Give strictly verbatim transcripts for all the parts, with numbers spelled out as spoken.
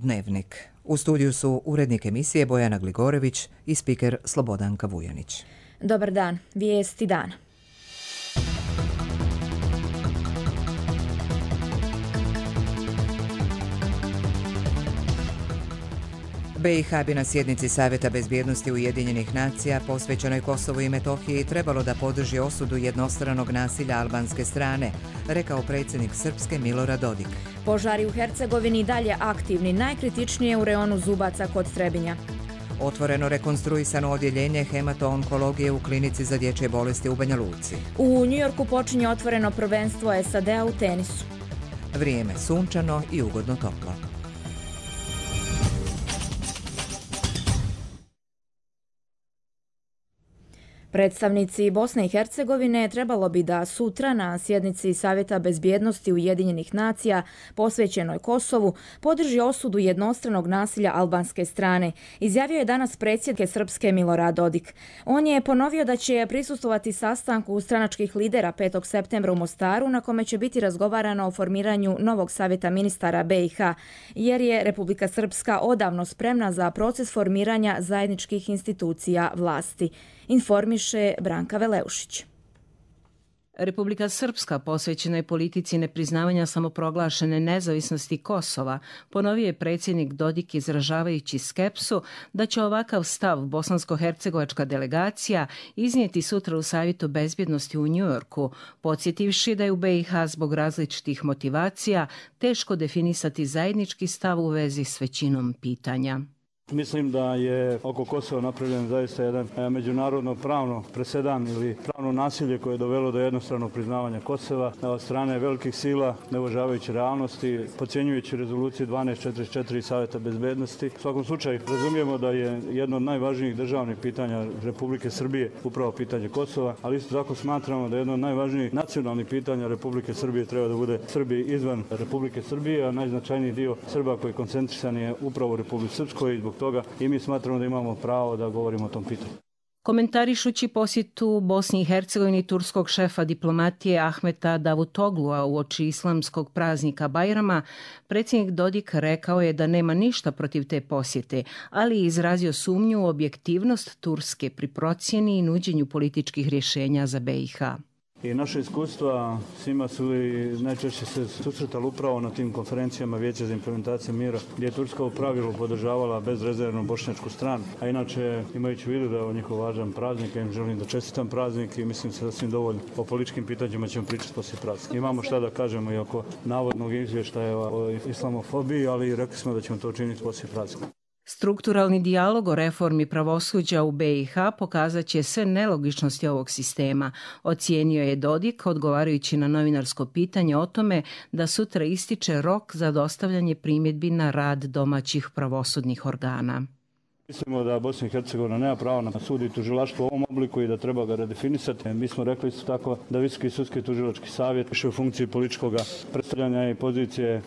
Dnevnik. U studiju su urednik emisije Bojana Gligorević i spiker Slobodanka Vujanić. Dobar dan, vijesti dana. B i H bi na sjednici Savjeta bezbjednosti Ujedinjenih nacija posvećenoj Kosovu i Metohiji trebalo da podrži osudu jednostranog nasilja albanske strane, rekao predsjednik Srpske Milorad Dodik. Požari u Hercegovini dalje aktivni, najkritičnije u reonu Zubaca kod Trebinja. Otvoreno rekonstruisano odjeljenje hemato-onkologije u klinici za dječje bolesti u Banja Luci. U Njujorku počinje otvoreno prvenstvo S A D-a u tenisu. Vrijeme sunčano i ugodno toplo. Predstavnici Bosne i Hercegovine trebalo bi da sutra na sjednici Savjeta bezbjednosti Ujedinjenih nacija posvećenoj Kosovu podrži osudu jednostranog nasilja albanske strane, izjavio je danas predsjednik Srpske Milorad Dodik. On je ponovio da će prisustvovati sastanku stranačkih lidera petog septembra u Mostaru, na kome će biti razgovarano o formiranju novog savjeta ministara B i H, jer je Republika Srpska odavno spremna za proces formiranja zajedničkih institucija vlasti. Informiše Branka Veleušić. Republika Srpska posvećena je politici nepriznavanja samoproglašene nezavisnosti Kosova, ponovio je predsjednik Dodik izražavajući skepsu da će ovakav stav bosansko-hercegovačka delegacija iznijeti sutra u Savjetu bezbjednosti u Njujorku, podsjetivši da je u B i H zbog različitih motivacija teško definisati zajednički stav u vezi s većinom pitanja. Mislim da je oko Kosova napravljen zaista jedan međunarodno pravno presedan ili pravno nasilje koje je dovelo do jednostranog priznavanja Kosova od strane velikih sila, ne uvažavajući realnosti, podcjenjujući rezoluciju dvanaest četrdeset četiri Savjeta bezbednosti. U svakom slučaju razumijemo da je jedno od najvažnijih državnih pitanja Republike Srbije upravo pitanje Kosova, ali isto tako smatramo da je jedno od najvažnijih nacionalnih pitanja Republike Srbije treba da bude Srbi izvan Republike Srbije, a najznačajniji dio Srba koji je koncentrisan je upravo u Republici Srpskoj i zbog toga i mi smatramo da imamo pravo da govorimo o tom pitanju. Komentarišući posjetu Bosni i Hercegovini turskog šefa diplomatije Ahmeta Davutoglua uoči islamskog praznika Bajrama, predsjednik Dodik rekao je da nema ništa protiv te posjete, ali je izrazio sumnju u objektivnost Turske pri procjeni i nuđenju političkih rješenja za B i H. I naše iskustva svima su i najčešće se susretali upravo na tim konferencijama Vijeća za implementaciju mira, gdje je Turska u pravilu podržavala bezrezervno bošnjačku stranu. A inače, imajući u vidu da je ovo njihov važan praznik, ja im želim da čestitam praznik i mislim se da svim dovoljno. O političkim pitanjima ćemo pričati poslije praznika. Imamo šta da kažemo i oko navodnog izvještaja o islamofobiji, ali rekli smo da ćemo to učiniti poslije praznika. Strukturalni dijalog o reformi pravosuđa u B i H pokazat će sve nelogičnosti ovog sistema, ocijenio je Dodik odgovarajući na novinarsko pitanje o tome da sutra ističe rok za dostavljanje primjedbi na rad domaćih pravosudnih organa. Mislimo da Bosna i Hercegovina nema pravo na sud i tužilaštvo u ovom obliku i da treba ga redefinisati. Mi smo rekli isto tako da Visoki sudski tužilački savjet više u funkciji političkog predstavljanja i pozicije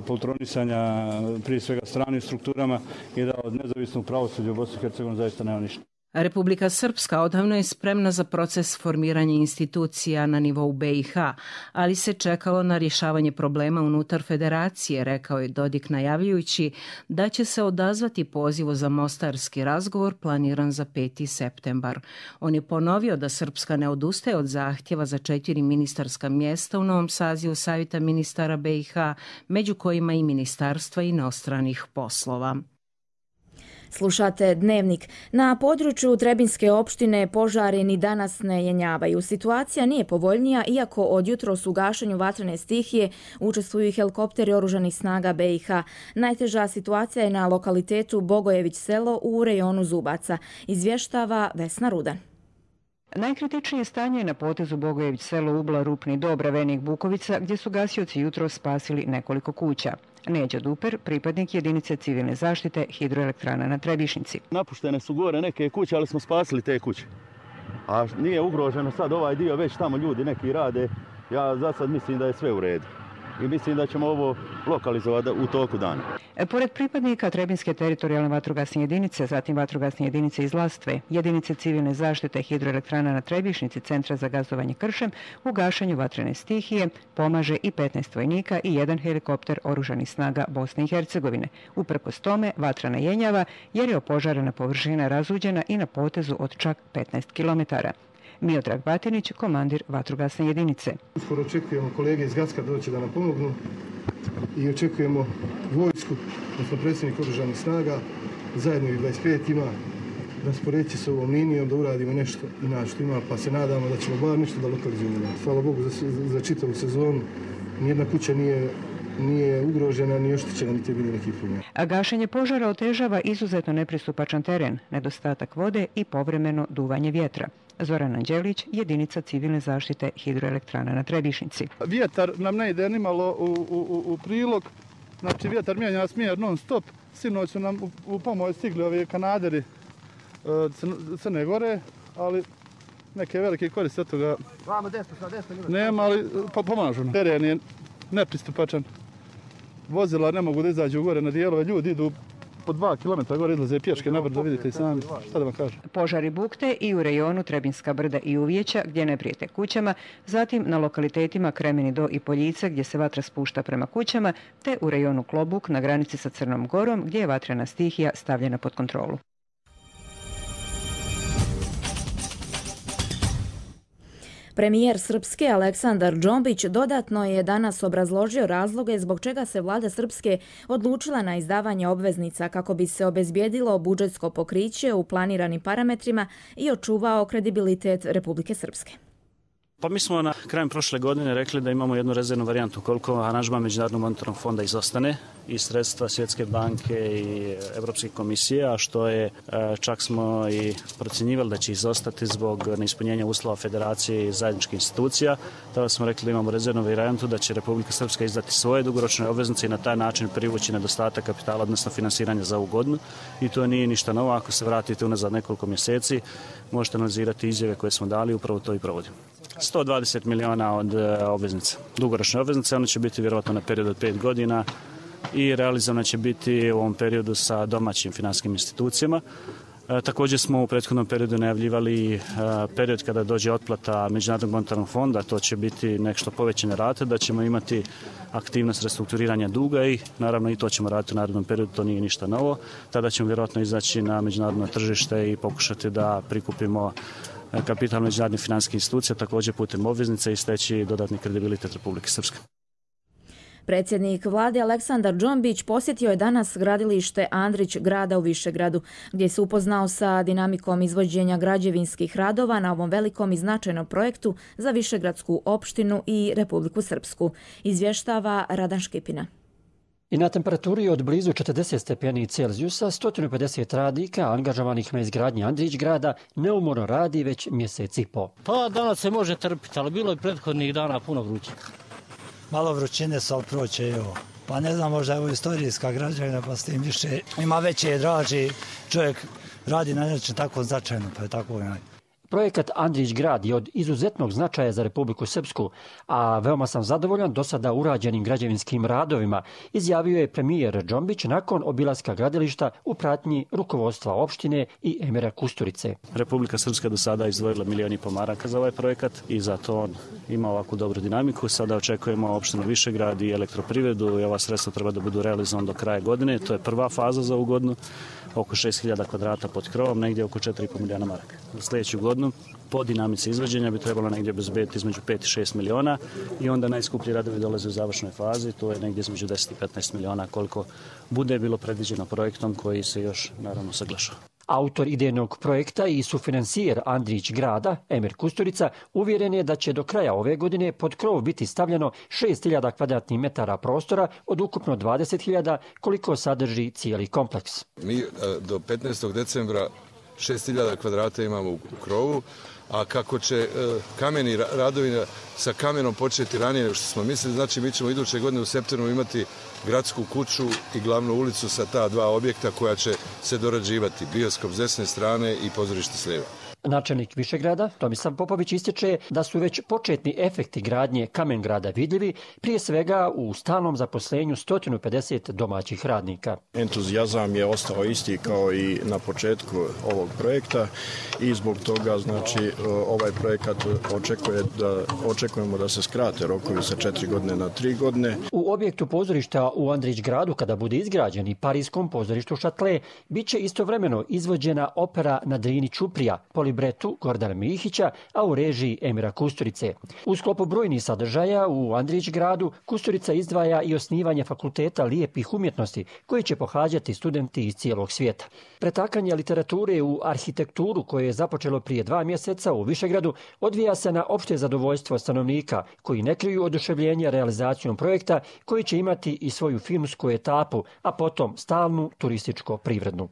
poltronisanja prije svega stranim strukturama i da od nezavisnog pravosuđa u Bosni i Hercegovini zaista nema ništa. Republika Srpska odavno je spremna za proces formiranja institucija na nivou B i H, ali se čekalo na rješavanje problema unutar federacije, rekao je Dodik najavljujući da će se odazvati pozivu za mostarski razgovor planiran za peti septembar. On je ponovio da Srpska ne odustaje od zahtjeva za četiri ministarska mjesta u novom sazivu Savjeta ministara B i H, među kojima i ministarstva inostranih poslova. Slušate Dnevnik. Na području Trebinjske opštine požari ni danas ne jenjavaju. Situacija nije povoljnija, iako od jutros u gašenju vatrene stihije učestvuju i helikopteri oružanih snaga B i H. Najteža situacija je na lokalitetu Bogojević selo u rejonu Zubaca, izvještava Vesna Rudan. Najkritičnije stanje je na potezu Bogojević selo Ubla, Rupni Dob, Ravenik, Bukovica, gdje su gasioci jutros spasili nekoliko kuća. Neđo Duper, pripadnik jedinice civilne zaštite hidroelektrana na Trebišnici. Napuštene su gore neke kuće, ali smo spasili te kuće. A nije ugroženo sad ovaj dio, već tamo ljudi neki rade. Ja za sad mislim da je sve u redu. i mislim da ćemo ovo lokalizovati u toku dana. Pored pripadnika Trebinske teritorijalne vatrogasne jedinice, zatim vatrogasne jedinice iz Lastve, jedinice civilne zaštite hidroelektrana na Trebišnici, Centra za gazovanje kršem, u gašenju vatrene stihije pomaže i petnaest vojnika i jedan helikopter oružanih snaga Bosne i Hercegovine. Uprkos tome, vatra ne jenjava jer je opožarena površina razuđena i na potezu od čak petnaest kilometara. Miodrag Batinić, komandir vatrogasne jedinice. Uskoro očekujemo kolege iz Gacka doći da nam pomognu i očekujemo vojsku, odnosno predsjednik oružanih snaga, zajedno i dvadeset pet ima, da sporeći s ovom linijom, da uradimo nešto inače što ima, pa se nadamo da ćemo bar nešto da lokalizujemo. Hvala Bogu za, za čitavu sezonu, nijedna kuća nije nije ugrožena ni oštećena, niti je bilo nekih problema. A gašenje požara otežava izuzetno nepristupačan teren, nedostatak vode i povremeno duvanje vjetra. Zoran Anđelić, jedinica civilne zaštite hidroelektrana na Trebišnici. Vjetar nam ne ide nimalo u, u, u prilog, znači vjetar mijenja smjer non stop. Sinoć su nam u, u pomoć stigli ovi kanaderi Crne Gore, ali neke velike koriste od toga nema, ali pomažu nam. Teren je nepristupačan. Vozila ne mogu da izađu gore na dijelove, ljudi idu po dva kilometra gore, izlaze pješke nabrdo, vidite i sami, šta da vam kažem. Požari bukte i u rejonu Trebinska brda i Uvjeća, gdje ne prijete kućama, zatim na lokalitetima Kremeni do i Poljice, gdje se vatra spušta prema kućama, te u rejonu Klobuk na granici sa Crnom Gorom, gdje je vatrena stihija stavljena pod kontrolu. Premijer Srpske Aleksandar Džombić dodatno je danas obrazložio razloge zbog čega se vlada Srpske odlučila na izdavanje obveznica kako bi se obezbijedilo budžetsko pokriće u planiranim parametrima i očuvao kredibilitet Republike Srpske. Pa mi smo na krajem prošle godine rekli da imamo jednu rezervnu varijantu koliko aranžman Međunarodnog monetarnog fonda izostane i sredstva Svjetske banke i Europske komisije, a što je čak smo i procjenjivali da će izostati zbog neispunjenja uslova federacije i zajedničkih institucija. Tada smo rekli da imamo rezervnu varijantu da će Republika Srpska izdati svoje dugoročne obveznice i na taj način privući nedostatak kapitala, odnosno finansiranja za ovu godinu. I to nije ništa novo. Ako se vratite unazad nekoliko mjeseci, možete analizirati izjave koje smo dali, upravo to i provodimo. sto dvadeset miliona od obveznica, dugoročne obveznice, one će biti vjerojatno na period od pet godina i realizovana će biti u ovom periodu sa domaćim finanskim institucijama. E, također smo u prethodnom periodu najavljivali e, period kada dođe otplata Međunarodnog monetarnog fonda, to će biti nešto povećane rate, da ćemo imati aktivnost restrukturiranja duga i naravno i to ćemo raditi u narednom periodu, to nije ništa novo. Tada ćemo vjerojatno izaći na međunarodno tržište i pokušati da prikupimo kapital međunarodnih financijskih institucija, također putem obveznice i steći dodatni kredibilitet Republike Srpske. Predsjednik vlade Aleksandar Džombić posjetio je danas gradilište Andrić grada u Višegradu, gdje se upoznao sa dinamikom izvođenja građevinskih radova na ovom velikom i značajnom projektu za Višegradsku opštinu i Republiku Srpsku. Izvještava Radan Škipina. I na temperaturi od blizu četrdeset stepeni Celzijusa sto pedeset radnika angažovanih na izgradnji Andrić grada neumorno radi već mjesec i po. Pa danas se može trpiti, ali bilo je prethodnih dana puno vruće. Malo vrućine su, ali proće i ovo. Pa ne znam, možda je ovo istorijska građevina, pa s tim više ima veće draži. Čovjek radi na nečem tako značajno, pa je tako onaj. Projekat Andrić grad je od izuzetnog značaja za Republiku Srpsku, a veoma sam zadovoljan do sada urađenim građevinskim radovima, izjavio je premijer Džombić nakon obilaska gradilišta u pratnji rukovodstva opštine i Emira Kusturice. Republika Srpska do sada izdvojila milijon i pol maraka za ovaj projekat i zato on ima ovakvu dobru dinamiku. Sada očekujemo opštinu Višegrad i elektroprivredu i ova sredstva treba da budu realizovana do kraja godine. To je prva faza za ovu godinu, oko šest hiljada kvadrata pod krovom, negdje oko četiri i pol milijuna maraka. Za sljedeću godinu po dinamici izvođenja bi trebalo negdje obezbediti između pet i šest miliona i onda najskuplji radovi dolaze u završnoj fazi, to je negdje između deset i petnaest miliona koliko bude bilo predviđeno projektom koji se još naravno saglašava. Autor idejnog projekta i sufinansijer Andrić grada, Emir Kusturica, uvjeren je da će do kraja ove godine pod krov biti stavljeno šest hiljada kvadratnih metara prostora od ukupno dvadeset hiljada koliko sadrži cijeli kompleks. Mi do petnaestog decembra šest hiljada kvadrata imamo u krovu, a kako će kameni radovi sa kamenom početi ranije nego što smo mislili, znači mi ćemo iduće godine u septembru imati gradsku kuću i glavnu ulicu sa ta dva objekta koja će se dorađivati, bioskop s desne strane i pozorište s lijeve. Načelnik Višegrada, Tomislav Popović, ističe da su već početni efekti gradnje Kamen Grada vidljivi, prije svega u stalnom zaposlenju sto pedeset domaćih radnika. Entuzijazam je ostao isti kao i na početku ovog projekta i zbog toga znači ovaj projekat očekuje da, očekujemo da se skrate rokovi sa četiri godine na tri godine. U objektu pozorišta u Andrić gradu, kada bude izgrađen i parijskom pozorištu Šatle, bit će istovremeno izvođena opera na Drini Čuprija, libretu Gordana Mihića, a u režiji Emira Kusturice. U sklopu brojnih sadržaja u Andrić gradu Kusturica izdvaja i osnivanje fakulteta lijepih umjetnosti koji će pohađati studenti iz cijelog svijeta. Pretakanje literature u arhitekturu koje je započelo prije dva mjeseca u Višegradu odvija se na opšte zadovoljstvo stanovnika koji ne kriju oduševljenje realizacijom projekta koji će imati i svoju filmsku etapu, a potom stalnu turističko-privrednu.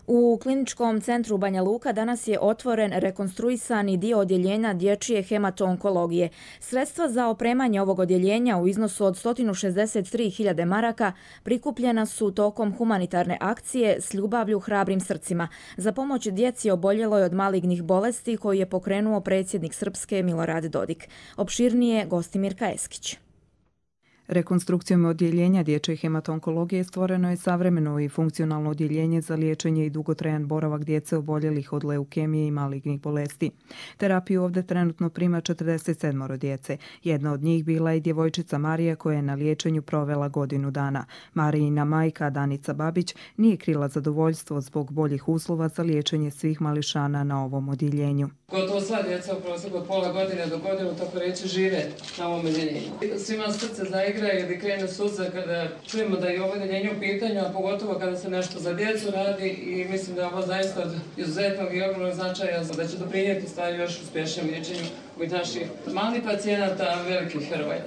U kliničkom centru Banja Luka danas je otvoren rekonstruisani dio odjeljenja dječje hemato-onkologije. Sredstva za opremanje ovog odjeljenja u iznosu od sto šezdeset tri hiljade maraka prikupljena su tokom humanitarne akcije S ljubavlju hrabrim srcima za pomoć djeci oboljeloj od malignih bolesti koju je pokrenuo predsjednik Srpske Milorad Dodik. Opširnije Gostimirka Eskić. Rekonstrukcijom odjeljenja dječje hemato-onkologije stvoreno je savremeno i funkcionalno odjeljenje za liječenje i dugotrajan boravak djece oboljelih od leukemije i malignih bolesti. Terapiju ovdje trenutno prima četrdeset sedam djece. Jedna od njih bila je djevojčica Marija koja je na liječenju provela godinu dana. Marijina majka Danica Babić nije krila zadovoljstvo zbog boljih uslova za liječenje svih mališana na ovom odjeljenju. Gotovo sva djeca u prosjeku od pola godine do godinu, tako reći, žive na ovom odjeljenju. Svima srce zaigra ili krene suza kada čujemo da je ovo odjeljenje u pitanju, a pogotovo kada se nešto za djecu radi i mislim da je ovo zaista od izuzetnog i ogromnog značaja da će doprinijeti stvari još uspješnijem liječenju ovih naših malih pacijenata, velikih heroja.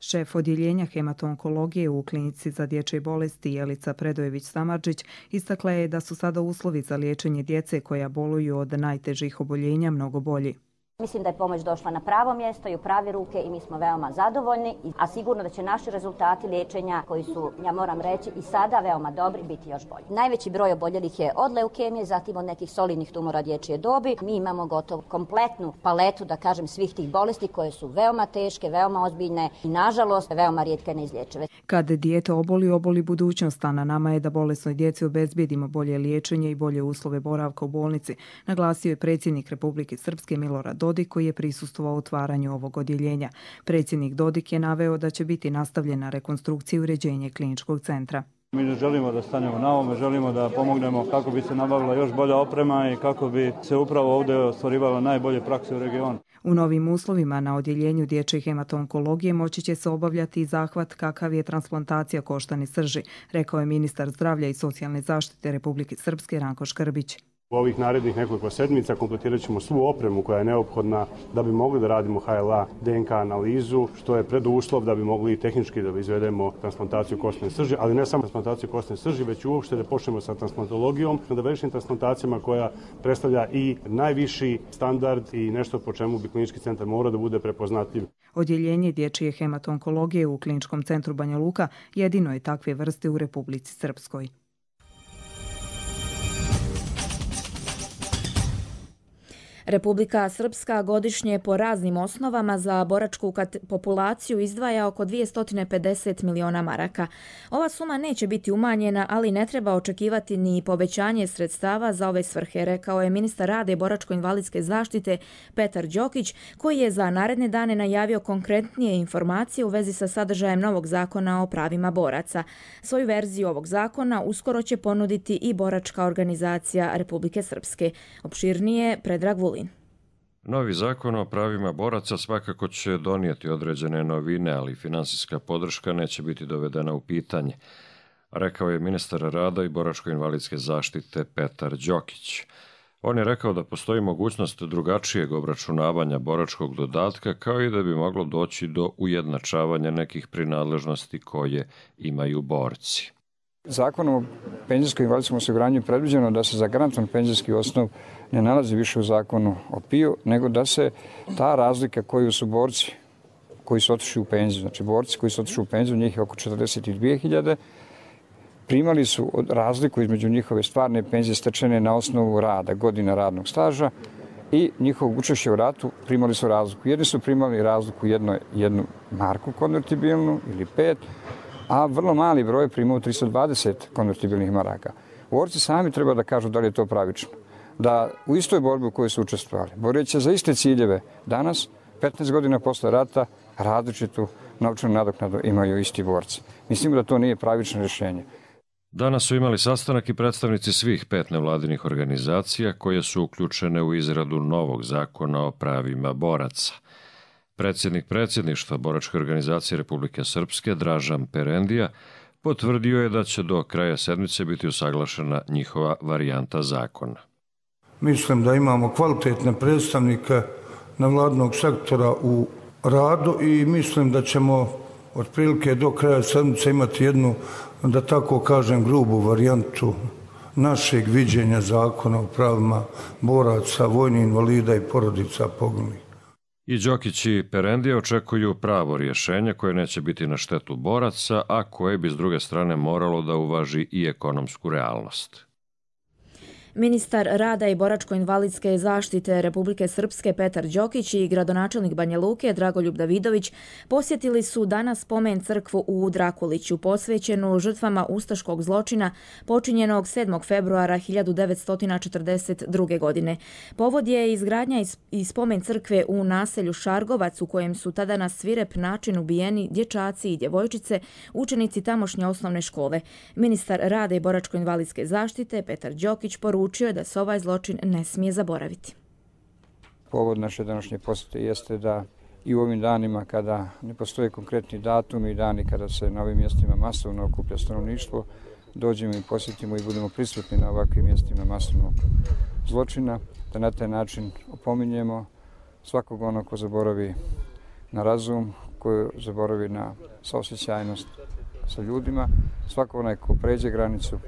Šef odjeljenja hemato-onkologije u klinici za dječje bolesti Jelica Predojević-Samardžić istakla je da su sada uslovi za liječenje djece koja boluju od najtežih oboljenja mnogo bolji. Mislim da je pomoć došla na pravo mjesto i u prave ruke i mi smo veoma zadovoljni, a sigurno da će naši rezultati liječenja koji su, ja moram reći, i sada veoma dobri, biti još bolji. Najveći broj oboljelih je od leukemije, zatim od nekih solidnih tumora dječje dobi. Mi imamo gotovo kompletnu paletu, da kažem, svih tih bolesti koje su veoma teške, veoma ozbiljne i nažalost veoma rijetke neizlječive. Kad dijete oboli, oboli budućnost, a na nama je da bolesnoj djeci obezbijedimo bolje liječenje i bolje uslove boravka u bolnici, naglasio je predsjednik Republike Srpske Milorad Dodik koji je prisustvovao otvaranju ovog odjeljenja. Predsjednik Dodik je naveo da će biti nastavljena rekonstrukcija i uređenje kliničkog centra. Mi ne želimo da stanemo na ovome, želimo da pomognemo kako bi se nabavila još bolja oprema i kako bi se upravo ovdje ostvarivala najbolje prakse u regionu. U novim uslovima na odjeljenju dječje hemato-onkologije moći će se obavljati i zahvat kakav je transplantacija koštane srži, rekao je ministar zdravlja i socijalne zaštite Republike Srpske Ranko Škrbić. U ovih narednih nekoliko sedmica kompletirat ćemo svu opremu koja je neophodna da bi mogli da radimo H L A D N K analizu, što je preduslov da bi mogli i tehnički da izvedemo transplantaciju koštane srži, ali ne samo transplantaciju koštane srži, već uopšte da počnemo sa transplantologijom, da vršim transplantacijama koja predstavlja i najviši standard i nešto po čemu bi klinički centar mora da bude prepoznatljiv. Odjeljenje dječje hemato-onkologije u kliničkom centru Banja Luka jedino je takve vrste u Republici Srpskoj. Republika Srpska godišnje po raznim osnovama za boračku populaciju izdvaja oko dvjesto pedeset miliona maraka. Ova suma neće biti umanjena, ali ne treba očekivati ni povećanje sredstava za ove svrhe, rekao je ministar rada i boračko-invalidske zaštite Petar Đokić, koji je za naredne dane najavio konkretnije informacije u vezi sa sadržajem novog zakona o pravima boraca. Svoju verziju ovog zakona uskoro će ponuditi i boračka organizacija Republike Srpske. Opširnije Predrag Vulin. Novi zakon o pravima boraca svakako će donijeti određene novine, ali finansijska podrška neće biti dovedena u pitanje, rekao je ministar rada i boračko-invalidske zaštite Petar Đokić. On je rekao da postoji mogućnost drugačijeg obračunavanja boračkog dodatka, kao i da bi moglo doći do ujednačavanja nekih prinadležnosti koje imaju borci. Zakonom o penzijskom i invalidskom osiguranju je predviđeno da se za garantovan penzijski osnov ne nalazi više u zakonu o P I O, nego da se ta razlika koju su borci koji su otišli u penziju, znači borci koji su otišli u penziju, njih je oko četrdeset dvije hiljade, primali su razliku između njihove stvarne penzije stečene na osnovu rada, godina radnog staža i njihovog učešća u ratu primali su razliku. Jedni su primali razliku jedno, jednu marku konvertibilnu ili pet, a vrlo mali broj primao tristo dvadeset konvertibilnih maraka. Borci sami treba da kažu da li je to pravično. Da u istoj borbi u kojoj su učestvovali, boreći za iste ciljeve, danas, petnaest godina posle rata, različitu novčanu nadoknadu imaju isti borci. Mislimo da to nije pravično rješenje. Danas su imali sastanak i predstavnici svih pet nevladinih organizacija koje su uključene u izradu novog zakona o pravima boraca. Predsjednik predsjedništva Boračke organizacije Republike Srpske, Dražan Perendija, potvrdio je da će do kraja sedmice biti usaglašena njihova varijanta zakona. Mislim da imamo kvalitetne predstavnike nevladinog sektora u radu i mislim da ćemo otprilike do kraja sedmice imati jednu, da tako kažem, grubu varijantu našeg viđenja zakona o pravima boraca, vojnih invalida i porodica poginulih. I Đokić i Perendija očekuju pravo rješenje koje neće biti na štetu boraca, a koje bi s druge strane moralo da uvaži i ekonomsku realnost. Ministar rada i boračko-invalidske zaštite Republike Srpske Petar Đokić i gradonačelnik Banja Luke Dragoljub Davidović posjetili su danas spomen crkvu u Drakuliću, posvećenu žrtvama ustaškog zločina počinjenog sedmog februara hiljadu devetsto četrdeset druge. godine. Povod je izgradnja i spomen crkve u naselju Šargovac, u kojem su tada na svirep način ubijeni dječaci i djevojčice, učenici tamošnje osnovne škole. Ministar rada i boračko-invalidske zaštite Petar Đokić poručio Učio je da se ovaj zločin ne smije zaboraviti. Povod naše današnje posjete jeste da i u ovim danima kada ne postoje konkretni datumi i dani kada se na ovim mjestima masovno okuplja stanovništvo, dođemo i posjetimo i budemo prisutni na ovakvim mjestima masovnog zločina, da na taj način opominjemo svakog onog ko zaboravi na razum, ko zaboravi na saosjećajnost sa ljudima, svakog onaj ko pređe granicu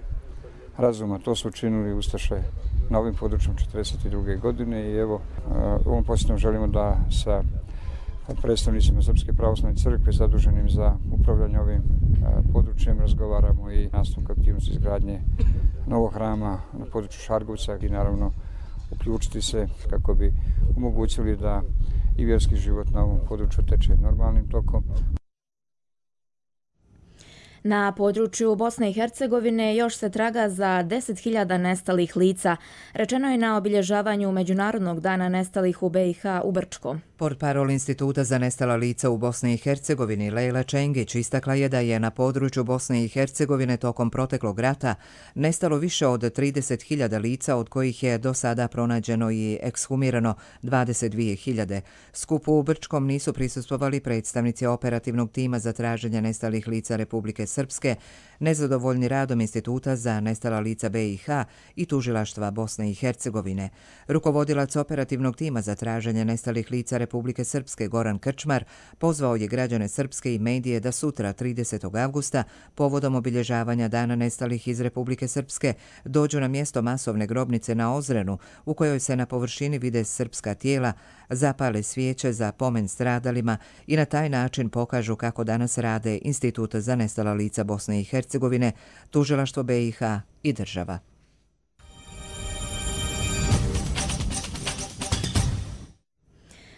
razuma. To su učinili ustaše na ovim područjom četrdeset druge. godine i evo, ovom posjetom želimo da sa predstavnicima Srpske pravoslavne crkve zaduženim za upravljanje ovim područjem razgovaramo i nastavak aktivnosti izgradnje novog hrama na području Šargovca i naravno uključiti se kako bi omogućili da i vjerski život na ovom području teče normalnim tokom. Na području Bosne i Hercegovine još se traga za deset hiljada nestalih lica. Rečeno je na obilježavanju Međunarodnog dana nestalih u B i H u Brčkom. Portparol Instituta za nestala lica u Bosni i Hercegovini Lejla Čengić istakla je da je na području Bosne i Hercegovine tokom proteklog rata nestalo više od trideset hiljada lica, od kojih je do sada pronađeno i ekshumirano dvadeset dvije hiljade. Skupu u Brčkom nisu prisustvovali predstavnici operativnog tima za traženje nestalih lica Republike Srpske, nezadovoljni radom Instituta za nestala lica B i H i tužilaštva Bosne i Hercegovine. Rukovodilac operativnog tima za traženje nestalih lica Republike Srpske Goran Krčmar pozvao je građane Srpske i medije da sutra tridesetog avgusta povodom obilježavanja Dana nestalih iz Republike Srpske dođu na mjesto masovne grobnice na Ozrenu, u kojoj se na površini vide srpska tijela, zapale svijeće za pomen stradalima i na taj način pokažu kako danas rade Institut za nestala lica Bosne i Hercegovine, tužilaštvo B i H i država.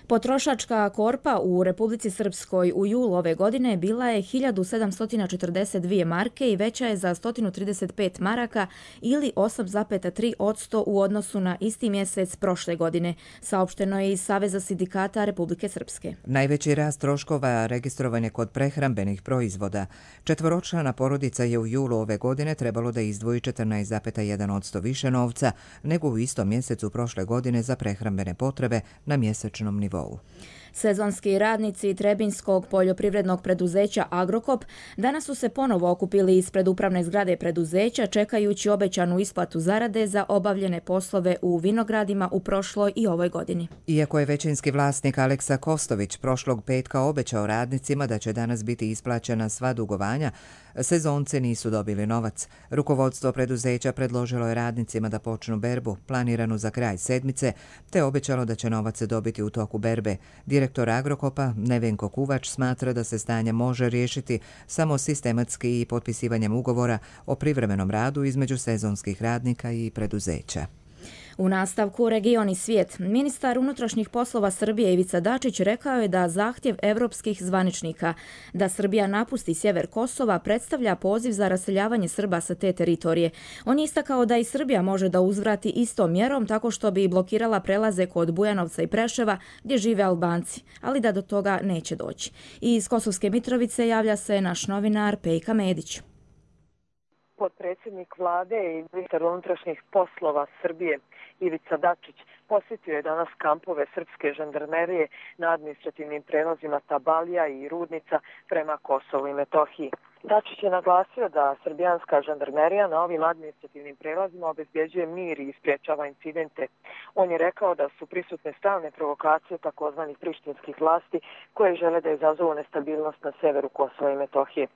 Potrošačka korpa u Republici Srpskoj u julu ove godine bila je hiljadu sedamsto četrdeset dvije marke i veća je za sto trideset pet maraka ili osam zarez tri posto u odnosu na isti mjesec prošle godine, saopšteno je iz Saveza sindikata Republike Srpske. Najveći rast troškova registrovan je kod prehrambenih proizvoda. Četvoročlana porodica je u julu ove godine trebalo da izdvoji četrnaest zarez jedan posto više novca nego u istom mjesecu prošle godine za prehrambene potrebe na mjesečnom nivou. Sezonski radnici Trebinskog poljoprivrednog preduzeća Agrokop danas su se ponovo okupili ispred upravne zgrade preduzeća čekajući obećanu isplatu zarade za obavljene poslove u vinogradima u prošloj i ovoj godini. Iako je većinski vlasnik Aleksa Kostović prošlog petka obećao radnicima da će danas biti isplaćena sva dugovanja, sezonce nisu dobili novac. Rukovodstvo preduzeća predložilo je radnicima da počnu berbu, planiranu za kraj sedmice, te obećalo da će novac dobiti u toku berbe. Direktor Agrokopa Nevenko Kuvač smatra da se stanje može riješiti samo sistematski i potpisivanjem ugovora o privremenom radu između sezonskih radnika i preduzeća. U nastavku Region i svijet, ministar unutrašnjih poslova Srbije Ivica Dačić rekao je da zahtjev evropskih zvaničnika da Srbija napusti sjever Kosova predstavlja poziv za raseljavanje Srba sa te teritorije. On je istakao da i Srbija može da uzvrati istom mjerom tako što bi blokirala prelaze kod Bujanovca i Preševa gdje žive Albanci, ali da do toga neće doći. I iz Kosovske Mitrovice javlja se naš novinar Pejka Medić. Potpredsjednik vlade i ministar unutrašnjih poslova Srbije Ivica Dačić posjetio je danas kampove srpske žandarmerije na administrativnim prelazima Tabalija i Rudnica prema Kosovu i Metohiji. Dačić je naglasio da srbijanska žandarmerija na ovim administrativnim prelazima obezbjeđuje mir i spriječava incidente. On je rekao da su prisutne stalne provokacije takozvanih prištinskih vlasti koje žele da izazovu nestabilnost na severu Kosova i Metohije.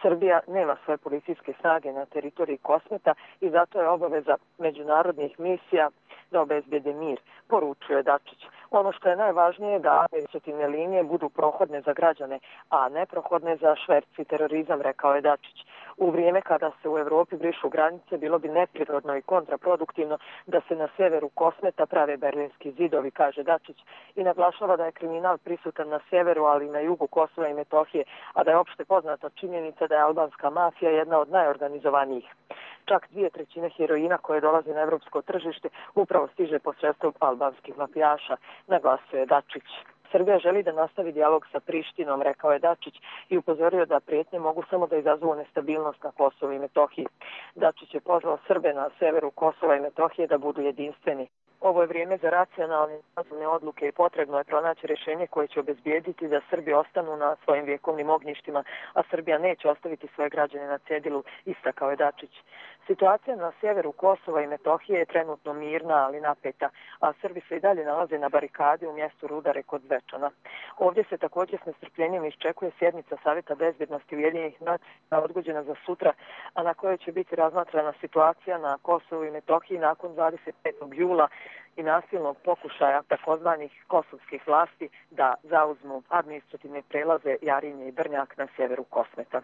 Srbija nema svoje policijske snage na teritoriji Kosmeta i zato je obaveza međunarodnih misija da obezbjede mir, poručuje Dačić. Ono što je najvažnije je da administrativne linije budu prohodne za građane, a ne prohodne za šverc i terorizam, rekao je Dačić. U vrijeme kada se u Evropi brišu granice, bilo bi neprirodno i kontraproduktivno da se na severu Kosmeta prave berlinski zidovi, kaže Dačić, i naglašava da je kriminal prisutan na severu, ali i na jugu Kosova i Metohije, a da je opšte poznata činjenica da je albanska mafija jedna od najorganizovanijih. Čak dvije trećine heroina koje dolaze na evropsko tržište upravo stiže posredstvom albanskih mafijaša, naglasuje Dačić. Srbija želi da nastavi dijalog sa Prištinom, rekao je Dačić, i upozorio da prijetnje mogu samo da izazovu nestabilnost na Kosovu i Metohiji. Dačić je pozvao Srbe na severu Kosova i Metohije da budu jedinstveni. Ovo je vrijeme za racionalne razumne odluke i potrebno je pronaći rješenje koje će obezbijediti da Srbi ostanu na svojim vjekovnim ognjištima, a Srbija neće ostaviti svoje građane na cedilu, istakao je Dačić. Situacija na sjeveru Kosova i Metohije je trenutno mirna, ali napeta, a Srbi se i dalje nalaze na barikadi u mjestu Rudare kod Zvečana. Ovdje se također s nestrpljenjem iščekuje sjednica Savjeta bezbjednosti Ujedinjenih nacija odgođena za sutra, a na kojoj će biti razmatrana situacija na Kosovu i Metohiji nakon dvadeset petog jula i nasilnog pokušaja takozvanih kosovskih vlasti da zauzmu administrativne prelaze Jarinje i Brnjak na sjeveru Kosmeta.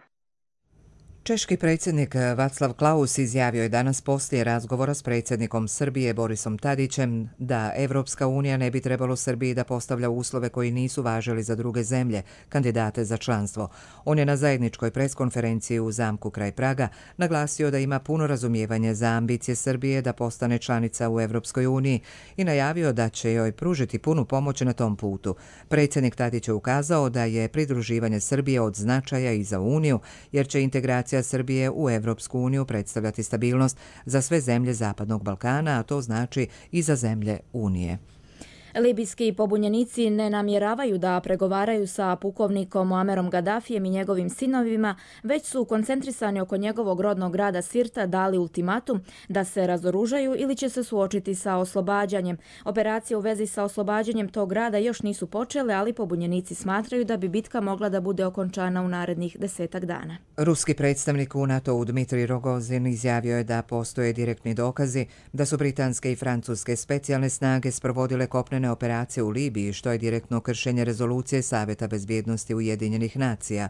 Češki predsjednik Václav Klaus izjavio je danas poslije razgovora s predsjednikom Srbije Borisom Tadićem da Evropska unija ne bi trebalo Srbiji da postavlja uslove koji nisu važili za druge zemlje, kandidate za članstvo. On je na zajedničkoj preskonferenciji u zamku kraj Praga naglasio da ima puno razumijevanje za ambicije Srbije da postane članica u Evropskoj uniji i najavio da će joj pružiti punu pomoć na tom putu. Predsjednik Tadić je ukazao da je pridruživanje Srbije od značaja i za Uniju, jer će integracija Srbije u Evropsku uniju predstavljati stabilnost za sve zemlje Zapadnog Balkana, a to znači i za zemlje Unije. Libijski pobunjenici ne namjeravaju da pregovaraju sa pukovnikom Muamerom Gaddafijem i njegovim sinovima, već su koncentrisani oko njegovog rodnog grada Sirta dali ultimatum da se razoružaju ili će se suočiti sa oslobađanjem. Operacije u vezi sa oslobađanjem tog grada još nisu počele, ali pobunjenici smatraju da bi bitka mogla da bude okončana u narednih desetak dana. Ruski predstavnik u NATO-u Dmitrij Rogozin izjavio je da postoje direktni dokazi da su britanske i francuske specijalne snage sprovodile kopnene operacije u Libiji, što je direktno kršenje rezolucije Savjeta bezbjednosti Ujedinjenih nacija.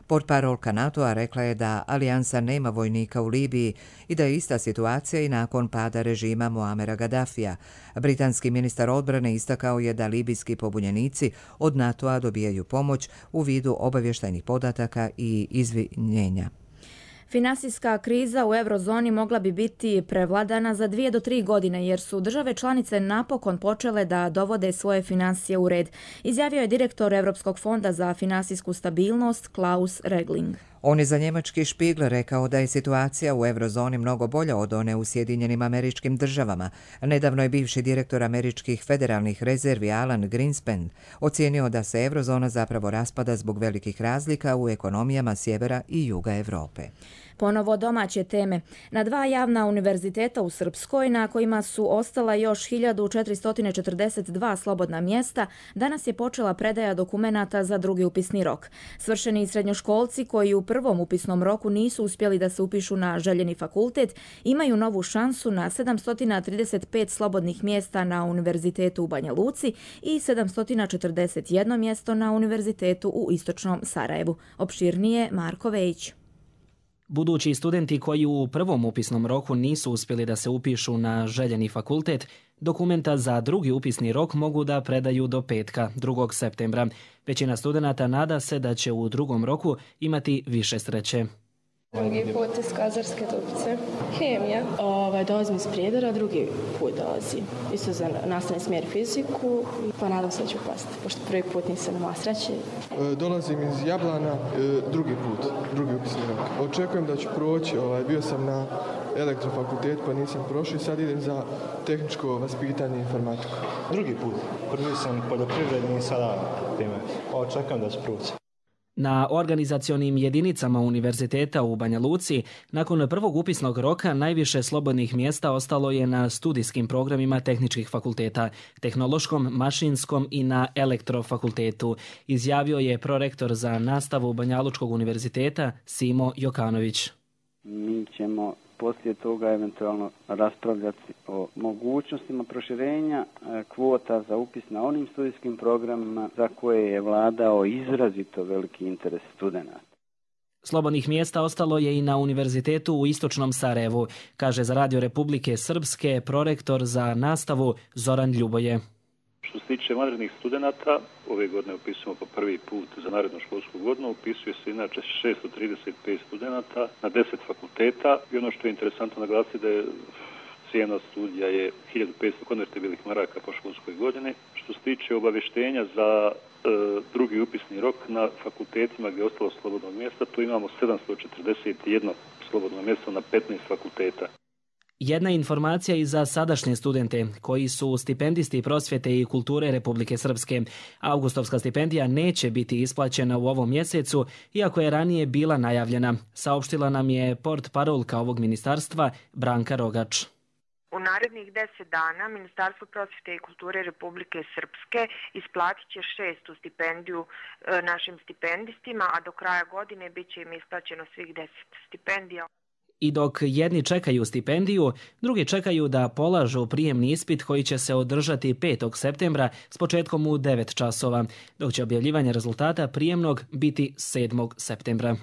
Portparolka NATO-a rekla je da alijansa nema vojnika u Libiji i da je ista situacija i nakon pada režima Muamera Gaddafija. Britanski ministar odbrane istakao je da libijski pobunjenici od NATO-a dobijaju pomoć u vidu obavještajnih podataka i izvinjenja. Finansijska kriza u eurozoni mogla bi biti prevladana za dvije do tri godine jer su države članice napokon počele da dovode svoje financije u red, izjavio je direktor Europskog fonda za finansijsku stabilnost Klaus Regling. On je za njemački Spiegel rekao da je situacija u eurozoni mnogo bolja od one u Sjedinjenim Američkim Državama. Nedavno je bivši direktor američkih federalnih rezervi Alan Greenspan ocijenio da se eurozona zapravo raspada zbog velikih razlika u ekonomijama sjevera i juga Europe. Ponovo domaće teme. Na dva javna univerziteta u Srpskoj, na kojima su ostala još hiljadu četiristo četrdeset dva slobodna mjesta, danas je počela predaja dokumenata za drugi upisni rok. Svršeni srednjoškolci koji u prvom upisnom roku nisu uspjeli da se upišu na željeni fakultet, imaju novu šansu na sedamsto trideset pet slobodnih mjesta na Univerzitetu u Banja Luci i sedamsto četrdeset jedno mjesto na Univerzitetu u Istočnom Sarajevu. Opširnije Marko Vejić. Budući studenti koji u prvom upisnom roku nisu uspjeli da se upišu na željeni fakultet, dokumenta za drugi upisni rok mogu da predaju do petka, drugog septembra. Većina studenata nada se da će u drugom roku imati više sreće. Drugi put iz Kazarske Dubice. Hemija. Ovaj, dolazim iz Prijedora, drugi put dolazim. Isto za nastavni smjer fiziku, pa nadam se da ću pasti, pošto prvi put nisam imala sreće. E, dolazim iz Jablana, e, drugi put, drugi upisni rok. Očekujem da ću proći, ovaj, bio sam na elektrofakultetu pa nisam prošao i sad idem za tehničko vaspitanje i informatiku. Drugi put, prvi sam poljoprivredni i sada time. Očekujem da ću proći. Na organizacionim jedinicama univerziteta u Banja Luci, nakon prvog upisnog roka najviše slobodnih mjesta ostalo je na studijskim programima tehničkih fakulteta, tehnološkom, mašinskom i na elektrofakultetu, izjavio je prorektor za nastavu Banjalučkog univerziteta Simo Jokanović. Mi ćemo poslije toga eventualno raspravljati o mogućnostima proširenja kvota za upis na onim studijskim programima za koje je vladao izrazito veliki interes studenata. Slobodnih mjesta ostalo je i na Univerzitetu u Istočnom Sarajevu, kaže za Radio Republike Srpske prorektor za nastavu Zoran Ljuboje. Što se tiče vanrednih studenata, ove godine upisujemo po prvi put za narednu školsku godinu, upisuje se inače šesto trideset pet studenata na deset fakulteta i ono što je interesantno naglasiti da je cijena studija je hiljadu petsto konvertibilnih maraka po školskoj godini. Što se tiče obavještenja za e, drugi upisni rok na fakultetima gdje je ostalo slobodnog mjesta, tu imamo sedamsto četrdeset jedno slobodno mjesto na petnaest fakulteta. Jedna informacija i za sadašnje studente koji su stipendisti prosvjete i kulture Republike Srpske. Augustovska stipendija neće biti isplaćena u ovom mjesecu, iako je ranije bila najavljena, saopštila nam je portparolka ovog ministarstva Branka Rogač. U narednih deset dana Ministarstvo prosvjete i kulture Republike Srpske isplatit će šestu stipendiju e, našim stipendistima, a do kraja godine bit će im isplaćeno svih deset stipendija. I dok jedni čekaju stipendiju, drugi čekaju da polažu prijemni ispit koji će se održati petog septembra s početkom u devet časova, dok će objavljivanje rezultata prijemnog biti sedmog septembra.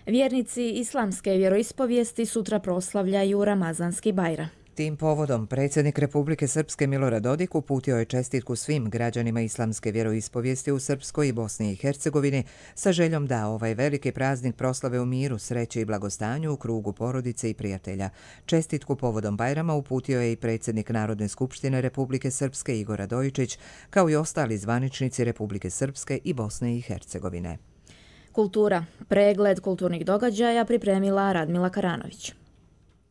Vjernici islamske vjeroispovijesti sutra proslavljaju Ramazanski Bajram. Tim povodom predsjednik Republike Srpske Milorad Dodik uputio je čestitku svim građanima islamske vjeroispovijesti u Srpskoj i Bosni i Hercegovini sa željom da ovaj veliki praznik proslave u miru, sreći i blagostanju u krugu porodice i prijatelja. Čestitku povodom Bajrama uputio je i predsjednik Narodne skupštine Republike Srpske Igor Radojičić, kao i ostali zvaničnici Republike Srpske i Bosne i Hercegovine. Kultura. Pregled kulturnih događaja pripremila Radmila Karanović.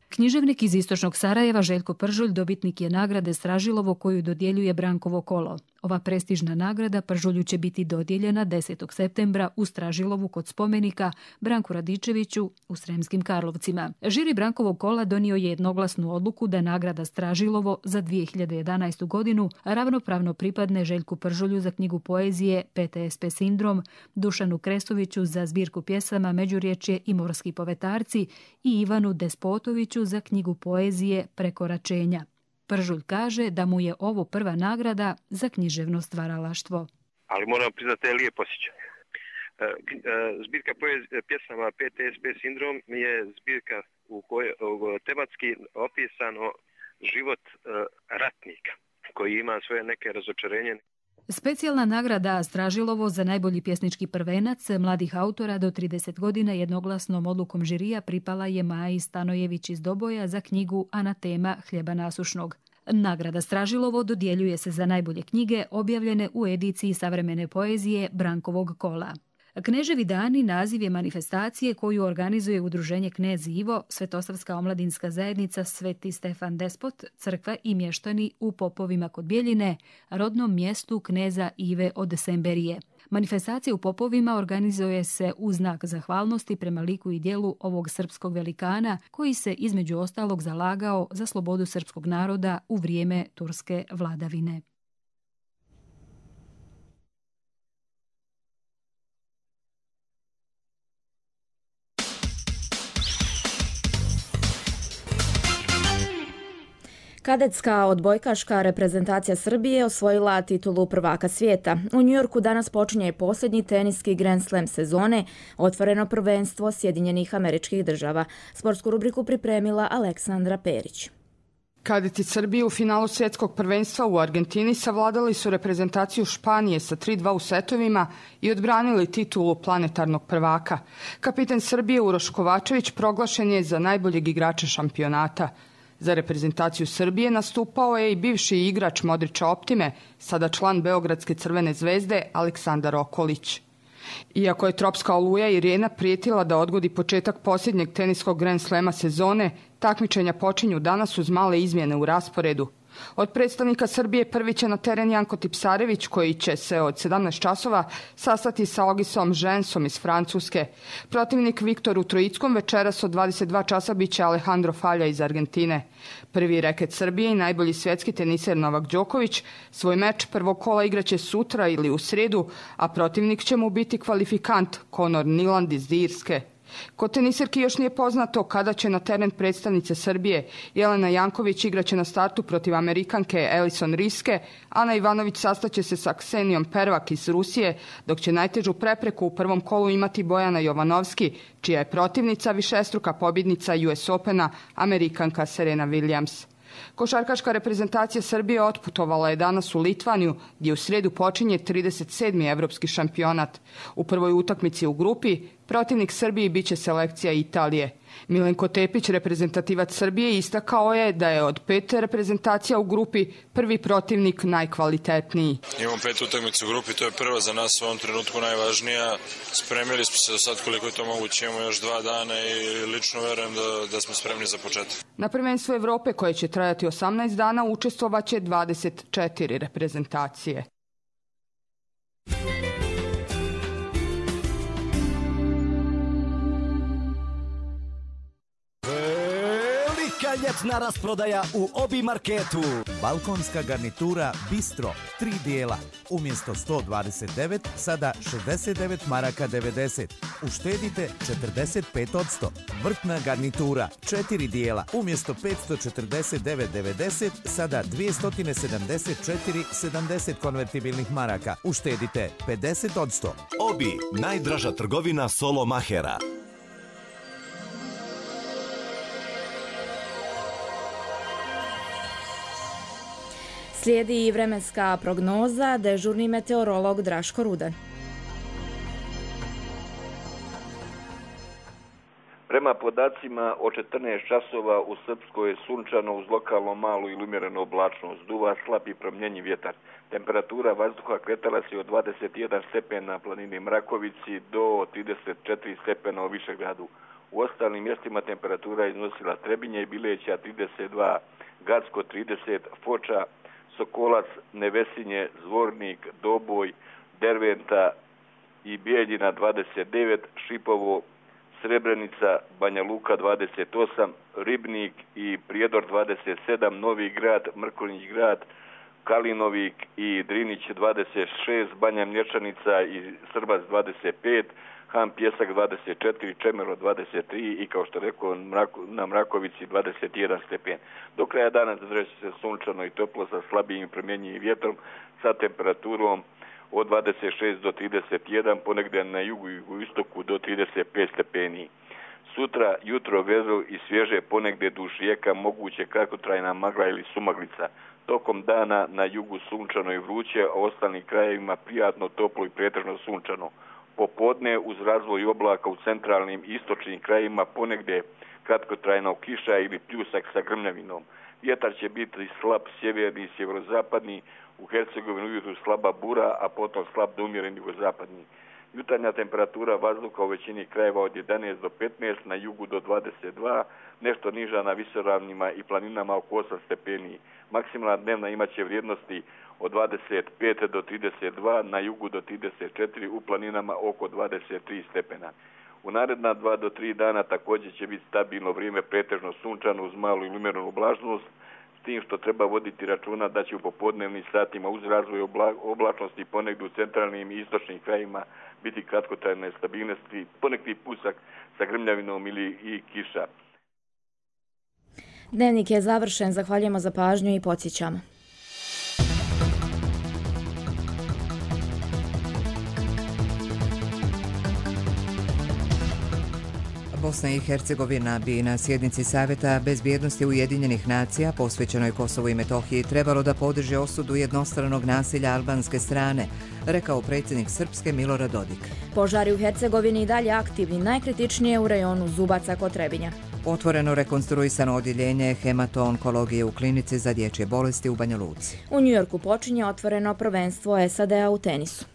Književnik iz Istočnog Sarajeva Željko Pržulj dobitnik je nagrade Stražilovo koju dodjeljuje Brankovo kolo. Ova prestižna nagrada Pržulju će biti dodijeljena desetog septembra u Stražilovu kod spomenika Branku Radičeviću u Sremskim Karlovcima. Žiri Brankovog kola donio je jednoglasnu odluku da nagrada Stražilovo za dvije hiljade jedanaestu godinu ravnopravno pripadne Željku Pržulju za knjigu poezije P T S P sindrom, Dušanu Krestoviću za zbirku pjesama Međurječje i morski povetarci i Ivanu Despotoviću za knjigu poezije Prekoračenja. Pržulj kaže da mu je ovo prva nagrada za književno stvaralaštvo. Ali moram priznati da je lijep osjećaj. Zbirka pjesama P T S P sindrom je zbirka u kojoj tematski opisano život ratnika koji ima svoje neke razočarenje. Specijalna nagrada Stražilovo za najbolji pjesnički prvenac mladih autora do trideset godina jednoglasnom odlukom žirija pripala je Maji Stanojević iz Doboja za knjigu Anatema hljeba nasušnog. Nagrada Stražilovo dodjeljuje se za najbolje knjige objavljene u ediciji savremene poezije Brankovog kola. Kneževi dani naziv je manifestacije koju organizuje udruženje Knez Ivo, Svetosavska omladinska zajednica Sveti Stefan Despot, crkva i mještani u Popovima kod Bjeljine, rodnom mjestu kneza Ive od Semberije. Manifestacija u Popovima organizuje se u znak zahvalnosti prema liku i dijelu ovog srpskog velikana koji se između ostalog zalagao za slobodu srpskog naroda u vrijeme turske vladavine. Kadetska odbojkaška reprezentacija Srbije osvojila titulu prvaka svijeta. U Njujorku danas počinje posljednji teniski Grand Slam sezone, otvoreno prvenstvo Sjedinjenih Američkih Država. Sportsku rubriku pripremila Aleksandra Perić. Kadeti Srbije u finalu svjetskog prvenstva u Argentini savladali su reprezentaciju Španije sa tri dva u setovima i odbranili titulu planetarnog prvaka. Kapitan Srbije Uroš Kovačević proglašen je za najboljeg igrača šampionata. Za reprezentaciju Srbije nastupao je i bivši igrač Modrića Optime, sada član Beogradske Crvene zvezde Aleksandar Okolić. Iako je tropska oluja Irena prijetila da odgodi početak posljednjeg teniskog Grand Slema sezone, takmičenja počinju danas uz male izmjene u rasporedu. Od predstavnika Srbije prvi će na teren Janko Tipsarević, koji će se od sedamnaest časova sastati sa Ogisom Žensom iz Francuske. Protivnik Viktoru Trojickom večeras od dvadeset dva časa bit će Alejandro Falja iz Argentine. Prvi reket Srbije i najbolji svjetski teniser Novak Đoković svoj meč prvog kola igraće sutra ili u srijedu, a protivnik će mu biti kvalifikant Conor Niland iz Irske. Kod teniserki još nije poznato kada će na teren predstavnice Srbije. Jelena Janković igraće na startu protiv Amerikanke Alison Riske, Ana Ivanović sastaće se sa Ksenijom Pervak iz Rusije, dok će najtežu prepreku u prvom kolu imati Bojana Jovanovski, čija je protivnica višestruka pobjednica U S Opena, Amerikanka Serena Williams. Košarkaška reprezentacija Srbije otputovala je danas u Litvaniju, gdje u srijedu počinje trideset sedmi evropski šampionat. U prvoj utakmici u grupi protivnik Srbiji biće selekcija Italije. Milenko Tepić, reprezentativac Srbije, istakao je da je od pet reprezentacija u grupi prvi protivnik najkvalitetniji. Imamo pet utakmica u grupi, to je prva za nas u ovom trenutku najvažnija. Spremili smo se do sad koliko je to moguće, imamo još dva dana i lično verujem da, da smo spremni za početak. Na prvenstvu Evrope, koje će trajati osamnaest dana, učestvovaće dvadeset četiri reprezentacije. Ljetna rasprodaja u Obi marketu. Balkonska garnitura Bistro, tri dijela. Umjesto sto dvadeset devet, sada šezdeset devet maraka devedeset. Uštedite četrdeset pet posto. Vrtna garnitura, četiri dijela. Umjesto petsto četrdeset devet devedeset, sada dvjesto sedamdeset četiri sedamdeset konvertibilnih maraka. Uštedite pedeset posto. Obi, najdraža trgovina Solo Mahera. Slijedi i vremenska prognoza, dežurni meteorolog Draško Rudan. Prema podacima o četrnaest časova u Srpskoj je sunčano uz lokalno malu ili umjerenu oblačnost. Duva slab i promjenjiv vjetar. Temperatura vazduha kretala se od dvadeset jedan stepen na planini Mrakovici do trideset četiri stepena u Višegradu. U ostalim mjestima temperatura iznosila Trebinje i Bileća trideset dva, Gacko trideset, Foča, Sokolac, Nevesinje, Zvornik, Doboj, Derventa i Bijeljina dvadeset devet, Šipovo, Srebrenica, Banja Luka dvadeset osam, Ribnik i Prijedor dvadeset sedam, Novi Grad, Mrkonjić Grad, Kalinovik i Drinić dvadeset šest, Banja Mlječanica i Srbac dvadeset pet, Han Pjesak dvadeset četiri, Čemero dvadeset tri i kao što rekao na Mrakovici dvadeset jedan stepen. Do kraja dana zadržat će se sunčano i toplo sa slabijim i promjenjivim vjetrom sa temperaturom od dvadeset šest do trideset jedan, ponegdje na jugu i jugoistoku do trideset pet stepeni. Sutra jutro vedro i svježe, ponegdje duž rijeka, moguće kratkotrajna magla ili sumaglica. Tokom dana na jugu sunčano i vruće, a ostalim krajevima prijatno, toplo i pretežno sunčano. Popodne uz razvoj oblaka u centralnim i istočnim krajima ponegdje kratkotrajna kiša ili pljusak sa grmljavinom. Vjetar će biti slab sjeverni i sjeverozapadni, u Hercegovini ujutru slaba bura, a potom slab do umjeren jugozapadni. Jutarnja temperatura vazduha u većini krajeva od jedanaest do petnaest, na jugu do dvadeset dva, nešto niža na visoravnima i planinama oko osam stepeni. Maksimalna dnevna imaće vrijednosti od dvadeset pet do trideset dva, na jugu do trideset četiri, u planinama oko dvadeset tri stepena. U naredna dva do tri dana također će biti stabilno vrijeme, pretežno sunčano uz malu ili umjerenu oblačnost, s tim što treba voditi računa da će u popodnevnim satima uz razvoj obla, oblačnosti ponegdje u centralnim i istočnim krajima biti kratkotrajne stabilnosti, ponekli pusak sa grmljavinom ili i kiša. Dnevnik je završen, zahvaljujemo za pažnju i podsjećamo. Bosna i Hercegovina bi na sjednici Savjeta bezbjednosti Ujedinjenih nacija posvećenoj Kosovu i Metohiji trebalo da podrži osudu jednostranog nasilja albanske strane, rekao predsjednik Srpske Milorad Dodik. Požari u Hercegovini i dalje aktivni, najkritičnije u rajonu Zubaca kod Trebinja. Otvoreno rekonstruisano odjeljenje hemato-onkologije u klinici za dječje bolesti u Banja Luci. U Njujorku počinje otvoreno prvenstvo S A D-a u tenisu.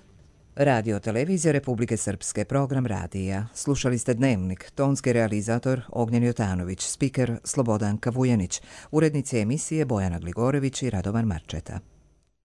Radio televizija Republike Srpske, program radija. Slušali ste Dnevnik, tonski realizator Ognjen Jotanović, spiker Slobodan Kavujanić, urednici emisije Bojana Gligorević i Radovan Marčeta.